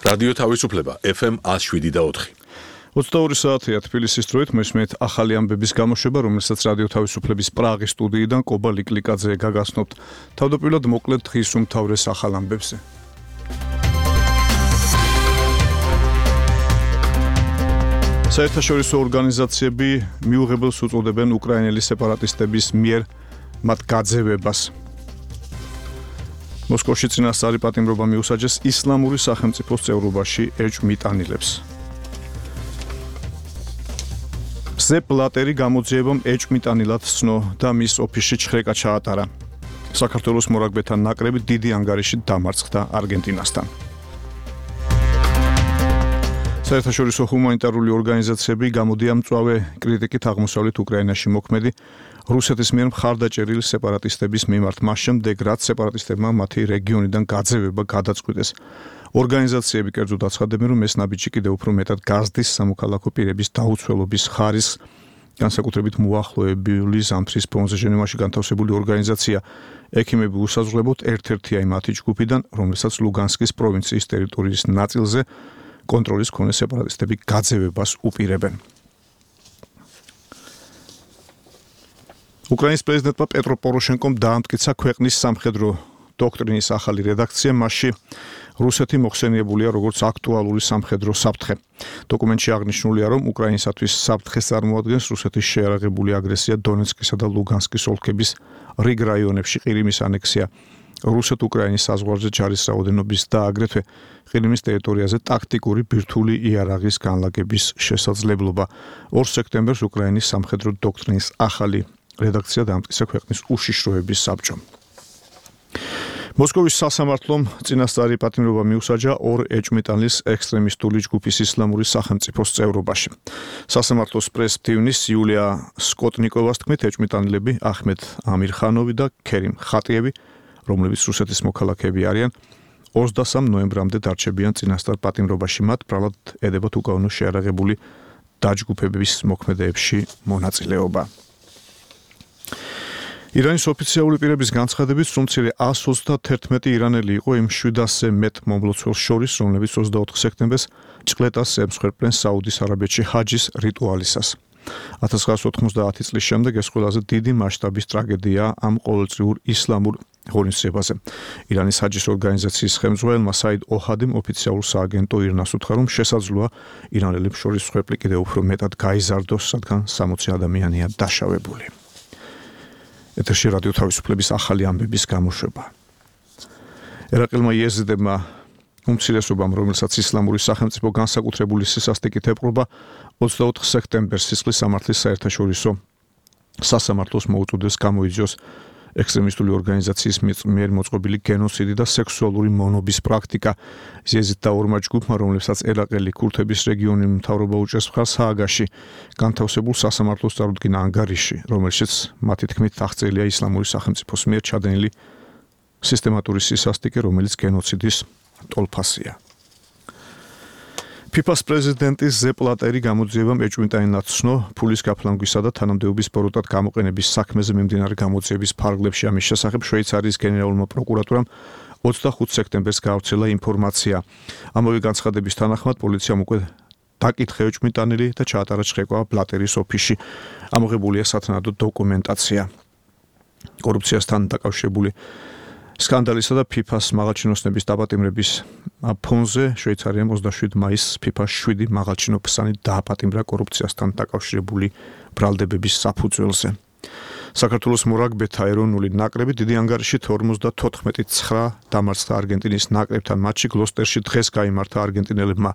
რადიო თავისუფლება FM 107.4. 22 საათია თბილისის დროით მესმით ახალი ამბების გამოშვება, რომელსაც რადიო თავისუფლების პრაღის სტუდიიდან კობა ლიკლიკაძე გაგაცნობთ. თავდაპირველად მოკლედ დღის უმთავრეს ახალ ამბებზე. საერთაშორისო ორგანიზაციები მიუღებელს უწოდებენ უკრაინელი სეპარატისტების მიერ მათ გაძევებას. მოსკოვში წინასწარი პატიმრობა მიუსაჯეს ისლამური სახელმწიფოს წევრობაში ეჭვმიტანილებს. სეპ ბლატერი გამოძიებამ ეჭვმიტანილად ცნო და მის ოფისში ჩხრეკა ჩაატარა. საქართველოს მორაგბეთა ნაკრები დიდი ანგარიში დამარცხდა არგენტინასთან. საერთაშორისო ჰუმანიტარული ორგანიზაციები გამოდია მწვავე კრიტიკით აღმოსავლეთ უკრაინაში მოქმედი რუსეთის მიერ მხარდაჭერილი სეპარატისტების მიმართ მას შემდეგ, რაც სეპარატისტებმა მათი რეგიონიდან გაძევება გადაწყვიტეს. ორგანიზაციები კერძოდ აცხადებენ, რომ ეს ნაბიჯი კიდევ უფრო მეტად გაზრდის სამოქალაქო პირების დაუცველობის ხარისხს. განსაკუთრებით მოახლოებული ზამთრის ფონზე ჟენევაში განთავსებული ორგანიზაცია ექიმები უსაზღვრებოდ ერთ-ერთია მათი ჯგუფიდან, რომელსაც ლუგანსკის პროვინციის ტერიტორიის ნაწილზე კონტროლის მქონე სეპარატისტები გაძევებას უპირებენ. უკრაინის პრეზიდენტმა პეტრო პოროშენკომ დაამტკიცა ქვეყნის სამხედრო დოქტრინის ახალი რედაქცია, მასში რუსეთი მოხსენიებულია როგორც აქტუალური სამხედრო საფრთხე. დოკუმენტში აღნიშნულია, რომ უკრაინისათვის საფრთხეს წარმოადგენს რუსეთის შეიარაღებული აგრესია დონეცკისა და ლუგანსკის ოლქების რიგ რაიონებში, ყირიმის ანექსია, რუსეთ-უკრაინის საზღვარზე ჯარის რაოდენობის და აგრეთვე ყირიმის ტერიტორიაზე ტაქტიკური ბირთვული იარაღის განლაგების შესაძლებლობა. 2 სექტემბერს უკრაინის სამხედრო დოქტრინის ახალი რედაქცია დაამტკიცა ქვეყნის უშიშროების საბჭომ. მოსკოვის სასამართლომ წინასწარი პატიმრობა მიუსაჯა 2 ეჭვმიტანილის ექსტრემისტული ჯგუფის ისლამური სახელმწიფოს წევრობაში. სასამართლოს პრეს-მდივნის იულია სკოტნიკოვას თქმით, ეჭვმიტანილები ახმედ ამირხანოვი და ქერიმ ხატიევი, რომლებიც რუსეთის მოქალაქეები არიან, 23 ნოემბრამდე დარჩებიან წინასწარ პატიმრობაში. მათ ბრალად ედებათ უკანონო შეიარაღებული დაჯგუფებების მოქმედებებში მონაწილეობა. ირანის ოფიციალური პირების განცხადებით, სულ მცირე 131 ირანელი იყო იმ 700-ზე მეტ მომლოცველს შორის, რომლებიც 24 სექტემბერს ჭყლეტას ემსხვერპლენ საუდის არაბეთში ჰაჯის რიტუალისას. 1990 წლის შემდეგ ეს ყველაზე დიდი მასშტაბის ტრაგედიაა ამ ყოველწლიურ ისლამურ ღონისძიებაზე. ირანის ჰაჯის ორგანიზაციის ხელმძღვანელმა საიდ ოჰადიმ ოფიციალურ სააგენტო ირნას უთხრა, რომ შესაძლოა ირანელებს შორის მსხვერპლი კიდევ უფრო მეტად გაიზარდოს, რადგან 60 ადამიანია დაშავებული. ეთერში რადიო თავისუფლების ახალი ამბების გამოშვება. ერაყელმა იეზიდებმა უმცირესობამ, რომელსაც ისლამური სახელმწიფო განსაკუთრებული სისასტიკით ეპყრობა, 24 სექტემბერს სისხლის სამართლის საერთაშორისო სასამართლოს მოუწოდეს გამოიძიოს ექსტრემისტული ორგანიზაციის მიერ მოწყობილი გენოციდი და სექსუალური მონობის პრაქტიკა. იეზიდთა 2 ჯგუფმა, რომლებსაც ერაყელი ქურთების რეგიონი მთავრობა უჭერს მხარს ჰააგაში, განთავსებულ სასამართლოს წარუდგინა ანგარიში, რომელშიც მათი თქმით აღწერილია ისლამური სახელმწიფოს მიერ ჩადენილი სისტემატური სისასტიკე, რომელიც გენოციდის ტოლფასია. ფიფას პრეზიდენტის სეპ ბლატერი გამოძიებამ ეჭვმიტანილად ცნო ფულის გაფლანგვისა და თანამდებობის ბოროტად გამოყენების საქმეზე მიმდინარე გამოძიების ფარგლებში. ამის შესახებ შვეიცარიის გენერალურმა პროკურატურამ 25 სექტემბერს გაავრცელა ინფორმაცია. ამავე განცხადების თანახმად პოლიციამ უკვე დაკითხა ეჭვმიტანილი და ჩაატარა ჩხრეკვა ბლატერის ოფისში. ამოღებულია სათანადო დოკუმენტაცია. კორუფციასთან დაკავშირებული სკანდალისა და ფიფას მაღალჩინოსნების დაპატიმრების ფონზე შვეიცარიამ 27 მაისს ფიფას 7 მაღალჩინოსანი დააპატიმრა კორუფციასთან დაკავშირებული ბრალდებების საფუძველზე. საქართველოს მორაგბეთა ეროვნული ნაკრები დიდი ანგარიშით 54-9 დამარცხდა არგენტინის ნაკრებთან მატჩი. გლოსტერში დღეს გაიმართა არგენტინელებმა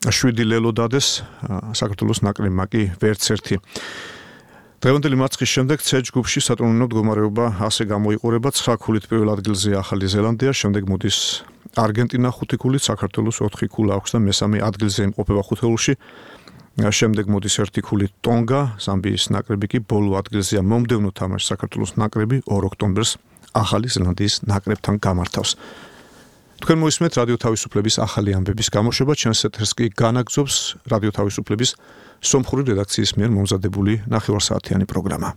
7 ლელო დადეს, საქართველოს ნაკრებმა კი ვერც ერთი. დღევანდელი მარცხის შემდეგ C ჯგუფში სატურნირო მდგომარეობა ასე გამოიყურება: 9 ქულით პირველ ადგილზეა ახალი ზელანდია, შემდეგ მოდის არგენტინა 5 ქულით, საქართველოს 4 ქულა აქვს და მესამე ადგილზე იმყოფება ხუთეულში. შემდეგ მოდის 1 ქულით ტონგა, ზამბიის ნაკრები კი ბოლო ადგილზეა. მომდევნო თამაშს საქართველოს ნაკრები 2 ოქტომბერს ახალი ზელანდიის ნაკრებთან გამართავს. თქვენ მოისმენთ რადიო თავისუფლების ახალი ამბების გამოშვება. ჩვენს ეთერს კი განაგრძობს რადიო თავისუფლების სომხური რედაქციის მიერ მომზადებული ნახევარსაათიანი პროგრამა.